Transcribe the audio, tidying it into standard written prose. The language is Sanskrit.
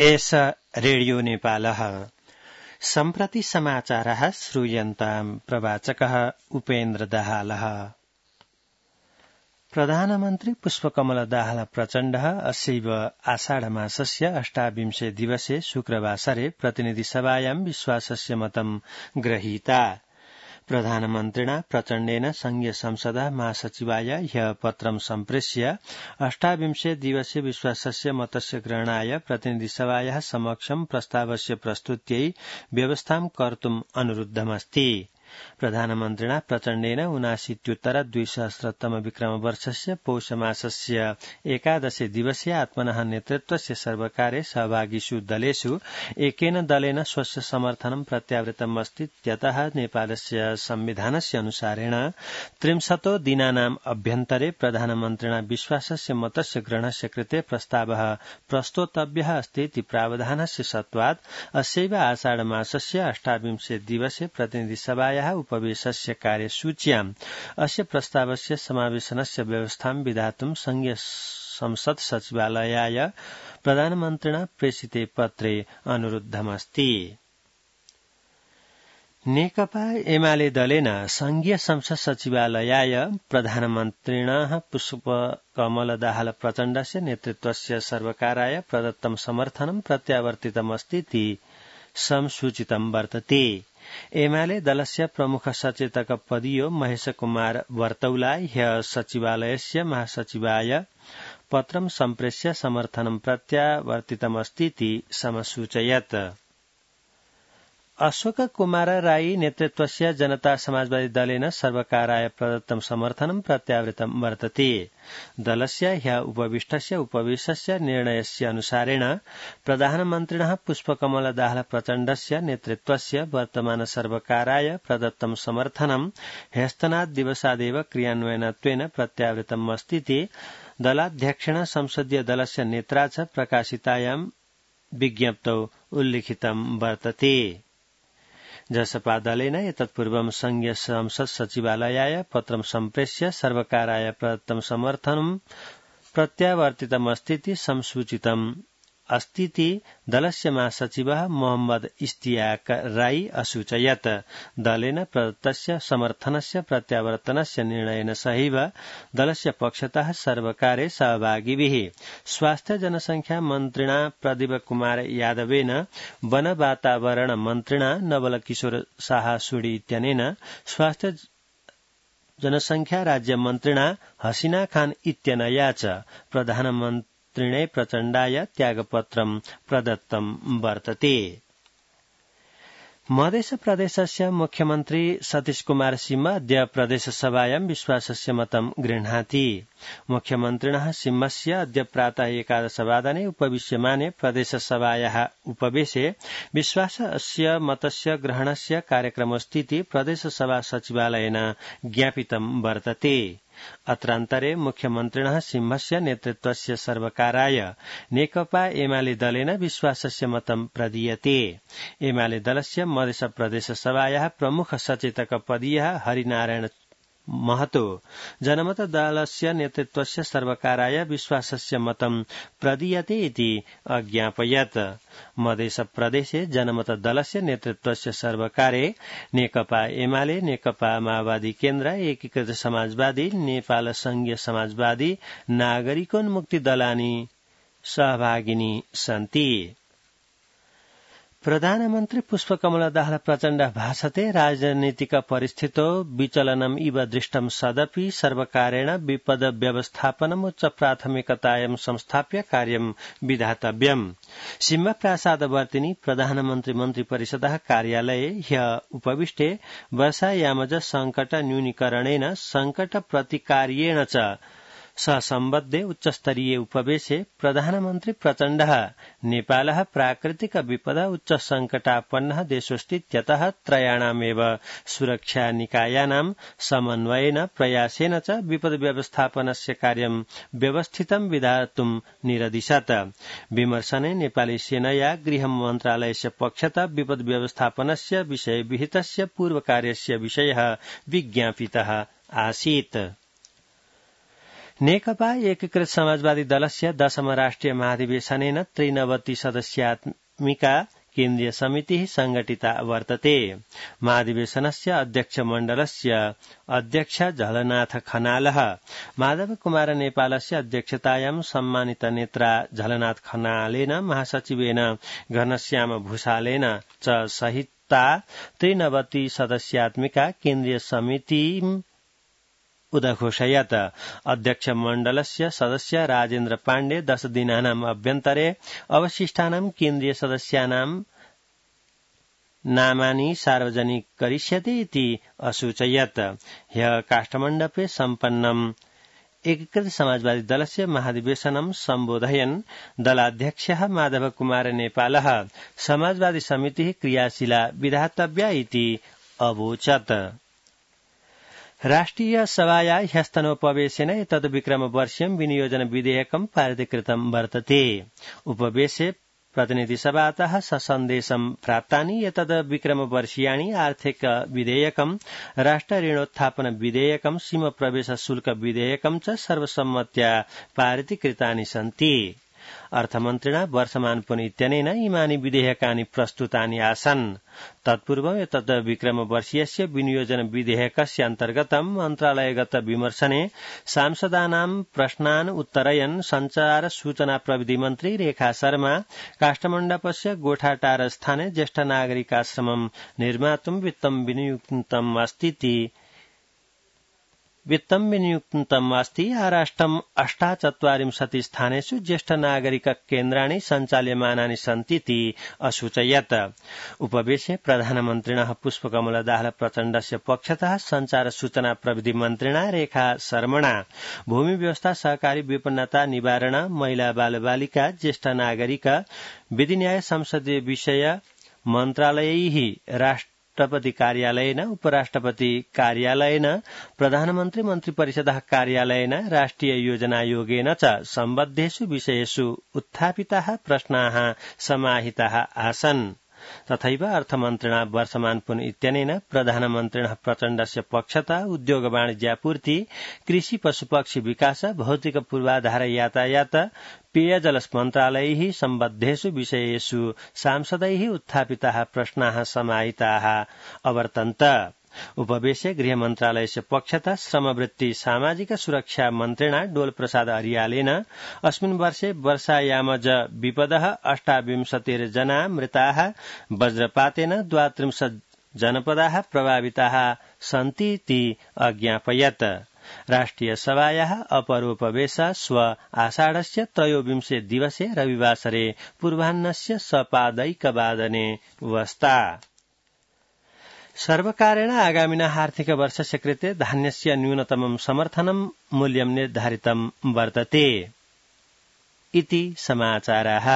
एष रेडियो नेपालः सम्प्रति समाचारः श्रूयन्ताम् प्रवाचकः उपेन्द्र दाहालः। प्रधानमन्त्री पुष्पकमल दाहाल प्रचण्डः अस्यैव आषाढमासस्य 28 दिवसे शुक्रवासरे प्रतिनिधिसभायां विश्वासस्य मतं गृहीता। प्रधानमन्त्रिणा प्रचण्डेन संघीय संसदः महासचिवाय ह्यः पत्रं सम्प्रेष्य 28 दिवसे विश्वासस्य मतस्य ग्रहणाय प्रतिनिधिसभायाः समक्षं प्रस्तावस्य प्रस्तुत्यै व्यवस्थां कर्तुम् अनुरुद्धमस्ति। प्रधानमन्त्रिणा प्रचण्डेन 79-2000 विक्रमवर्षस्य पौषमासस्य 11 दिवसे आत्मनः नेतृत्वस्य सर्वकारे सहभागिषु दलेषु एकेन दलेन स्वस्य समर्थनं प्रत्यावृतम् अस्ति। यतः नेपालस्य संविधानस्य अनुसारेण 30 दिनानाम् अभ्यन्तरे प्रधानमन्त्रिणा विश्वासस्य मतस्य ग्रहणस्य कृते प्रस्तावः प्रस्तोतव्यः अस्ति इति प्रावधानस्य सत्त्वात् अस्यैव आषाढमासस्य 28 दिवसे प्रतिनिधिसभायाः उपवेशस्य कार्यसूच्याम् अस्य प्रस्तावस्य समावेशनस्य व्यवस्थां विधातुं संघीय संसद सचिवालयाय प्रधानमन्त्रिणा प्रेषिते पत्रे अनुरुद्धमस्ति। नेकपा एमाले दलेन संघीय संसद सचिवालयाय प्रधानमन्त्रिणः पुष्पकमल दाहाल प्रचण्डस्य नेतृत्वस्य सर्वकाराय प्रदत्तं समर्थनं प्रत्यावर्तितमस्ति इति संसूचितं वर्तते। एमाले दलस्य प्रमुख सचेतक पदीयो महेश कुमार वर्तौला ह्यः सचिवालयस्य महासचिवाय पत्रं सम्प्रेष्य समर्थनं प्रत्यावर्तितमस्ति इति समसूचयत्। अशोक कुमार राई नेतृत्वस्य जनता समाजवादी दलेन सर्वकाराय प्रदत्तं समर्थनं प्रत्यावृतं वर्तते। दलस्य ह्यः उपविष्टस्य उपवेशस्य निर्णयस्य अनुसारेण प्रधानमन्त्रिणः पुष्पकमल दाहाल प्रचण्डस्य नेतृत्वस्य वर्तमान सर्वकाराय प्रदत्तं समर्थनं ह्यस्तनात् दिवसादेव क्रियान्वयनत्वेन प्रत्यावृतम् अस्ति इति दलाध्यक्षेण संसदीय दलस्य नेत्रा च प्रकाशितायां विज्ञप्तौ उल्लिखितं वर्तते। जसपा दलेन एतत्पूर्वं संघीय संसद सचिवालयाय पत्रं सम्प्रेष्य सर्वकाराय प्रदत्तं समर्थनं प्रत्यावर्तितमस्ति इति संसूचितम् अस्तीति दलस्य महासचिवः मोहम्मद इश्तियाक राई असूचयत्। दलेन प्रदत्तस्य समर्थनस्य प्रत्यावर्तनस्य निर्णयेन सहैव दलस्य पक्षतः सर्वकारे सहभागिभिः स्वास्थ्य जनसंख्या मन्त्रिणा प्रदीप कुमार यादवेन वन वातावरण मन्त्रिणा नवल किशोर साहासुडी इत्यनेन स्वास्थ्य जनसंख्या राज्य मन्त्रिणा हसीना खान इत्यनया च प्रधानमन्त्री त्रिणे प्रचण्डाय त्यागपत्रं प्रदत्तं वर्तते। मध्य प्रदेशस्य मुख्यमन्त्री सतीश कुमार सिंह अद्य प्रदेशसभायां विश्वासस्य मतं गृह्णाति। मुख्यमन्त्रिणः सिंहस्य अद्य प्रातः 11 वादने उपविश्यमाने प्रदेशसभायाः उपवेशे विश्वासस्य मतस्य ग्रहणस्य कार्यक्रमोऽस्ति इति प्रदेशसभा सचिवालयेन ज्ञापितं वर्तते। अत्रान्तरे मुख्यमन्त्रिणः सिंहस्य नेतृत्वस्य सर्वकाराय नेकपा एमाले दलेन विश्वासस्य मतं प्रदीयते। एमाले दलस्य मध्य प्रदेशसभायाः प्रमुख सचेतक पदीयः हरिनारायण महतो जनमत दलस्य नेतृत्वस्य सर्वकाराय विश्वासस्य मतं प्रदीयते इति अज्ञापयत्। मध्य प्रदेशे जनमत दलस्य नेतृत्वस्य सर्वकारे नेकपा एमाले, नेकपा माओवादी केन्द्र, एकीकृत समाजवादी, नेपाल संघीय समाजवादी, नागरिकोन्मुक्ति दलानि सहभागिनी सन्ति। प्रधानमन्त्री पुष्पकमल दाहाल प्रचण्ड भाषते राजनीतिक परिस्थितौ विचलनम् इव दृष्टं सदपि सर्वकारेण विपद व्यवस्थापनम् उच्च प्राथमिकतायां संस्थाप्य कार्यं विधातव्यम्। सिंह प्रासादवर्तिनि प्रधानमन्त्री मन्त्रिपरिषदः कार्यालये ह्यः उपविष्टे वर्षायामज संकट न्यूनीकरणेन संकट प्रतिकार्येण च सम्बद्धे उच्चस्तरीय उपवेशे प्रधानमन्त्री प्रचण्डः नेपालः प्राकृतिक विपद उच्च संकटापन्नः देशोऽस्तीत्यतः त्रयाणामेव सुरक्षा निकायानां समन्वयेन प्रयासेन च विपद व्यवस्थापनस्य कार्यं व्यवस्थितं विधातुं निरदिशत्। विमर्शने नेपाली सेनया गृह मन्त्रालयस्य पक्षतः विपद व्यवस्थापनस्य विषये विहितस्य पूर्वकार्यस्य विषयः विज्ञापितः आसीत्। नेकपा एकीकृत समाजवादी दलस्य 10 राष्ट्रिय महाधिवेशनेन 93 सदस्यात्मिका केन्द्रीय समितिः संघटिता वर्तते। महाधिवेशनस्य अध्यक्षमण्डलस्य अध्यक्ष झलनाथ खनालः माधव कुमार नेपालस्य अध्यक्षतायां सम्मानित नेत्रा झलनाथ खनालेन महासचिवेन घनश्याम भूषालेन च सहिता 93 सदस्यात्मिका केन्द्रीय समितिम् उदघोषयत्। अध्यक्ष मण्डलस्य सदस्य राजेन्द्र पाण्डे 10 दिनानाम् अभ्यन्तरे अवशिष्टानां केन्द्रीय सदस्यानां नामानि सार्वजनिक करिष्यति इति असूचयत्। ह्यः काष्ठमण्डपे सम्पन्नम् एकीकृत समाजवादी दलस्य महाधिवेशनं सम्बोधयन् दलाध्यक्षः माधव कुमार नेपालः समाजवादी समितिः क्रियाशीला विधातव्या इति अवोचत्। राष्ट्रिय सभाया ह्यस्तनोपवेशेन एतद्विक्रमवर्षीयं विनियोजन विधेयकं पारितीकृतं वर्तते। उपवेशे प्रतिनिधिसभातः सन्देशं प्राप्तानि एतद् विक्रमवर्षीयाणि आर्थिक विधेयकं राष्ट्र ऋणोत्थापन विधेयकं सीम प्रवेश शुल्क विधेयकं च सर्वसम्मत्या पारितीकृतानि सन्ति। अर्थमन्त्रिणा वर्षमान पुनीत्यनेन इमानि विधेयकानि प्रस्तुतानि आसन्। तत्पूर्वम् एतद् विक्रमवर्षीयस्य विनियोजन विधेयकस्य अन्तर्गतं मन्त्रालयगत विमर्शने सांसदानां प्रश्नान् उत्तरयन् संचार सूचना प्रविधि मन्त्री रेखा शर्मा काष्ठमण्डपस्य गोठाटार स्थाने ज्येष्ठ नागरिकाश्रमं निर्मातुं वित्तं विनियुक्तम् अस्ति। आराष्ट्रम् 48 स्थानेषु ज्येष्ठ नागरिक केन्द्राणि सञ्चाल्यमानानि सन्तीति असूचयत्। उपवेशे प्रधानमन्त्रिणः पुष्पकमल दाहाल प्रचण्डस्य पक्षतः संचार सूचना प्रविधि मन्त्रिणा रेखा शर्मणा भूमि व्यवस्था सहकारी विपन्नता निवारण महिला बालबालिका ज्येष्ठ नागरिक विधि न्याय संसदीय विषय मन्त्रालयैः राष्ट्रपति कार्यालयेन उपराष्ट्रपति कार्यालयेन प्रधानमन्त्री मन्त्रिपरिषदः कार्यालयेन राष्ट्रिय योजनायोगेन च सम्बद्धेषु विषयेषु उत्थापिताः प्रश्नाः समाहिताः आसन्। तथैव अर्थमन्त्रिणा वर्षमान पुन इत्यनेन प्रधानमन्त्रिणः प्रचण्डस्य पक्षतः उद्योग वाणिज्यापूर्ति कृषि पशुपक्षी विकास भौतिक पूर्वाधार यातायात पेयजल मन्त्रालयैः सम्बद्धेषु विषयेषु सांसदैः उत्थापिताः प्रश्नाः समाहिताः अवर्तन्त। उपवेशे गृह मन्त्रालयस्य पक्षतः श्रमवृत्ति सामाजिक सुरक्षा मन्त्रिणा डोल प्रसाद अर्यालेन अस्मिन् वर्षे वर्षायामज विपदः 28 जना मृताः वज्रपातेन 32 जनपदाः प्रभाविताः सन्तीति अज्ञापयत्। राष्ट्रिय सभायाः अपरोपवेश श्व आषाढस्य 23 दिवसे रविवासरे पूर्वाह्नस्य सपादैकवादने वस्ता। सर्वकारेण आगामिनः आर्थिक वर्षस्य कृते धान्यस्य न्यूनतमं समर्थनं मूल्यं निर्धारितं वर्तते इति समाचाराः।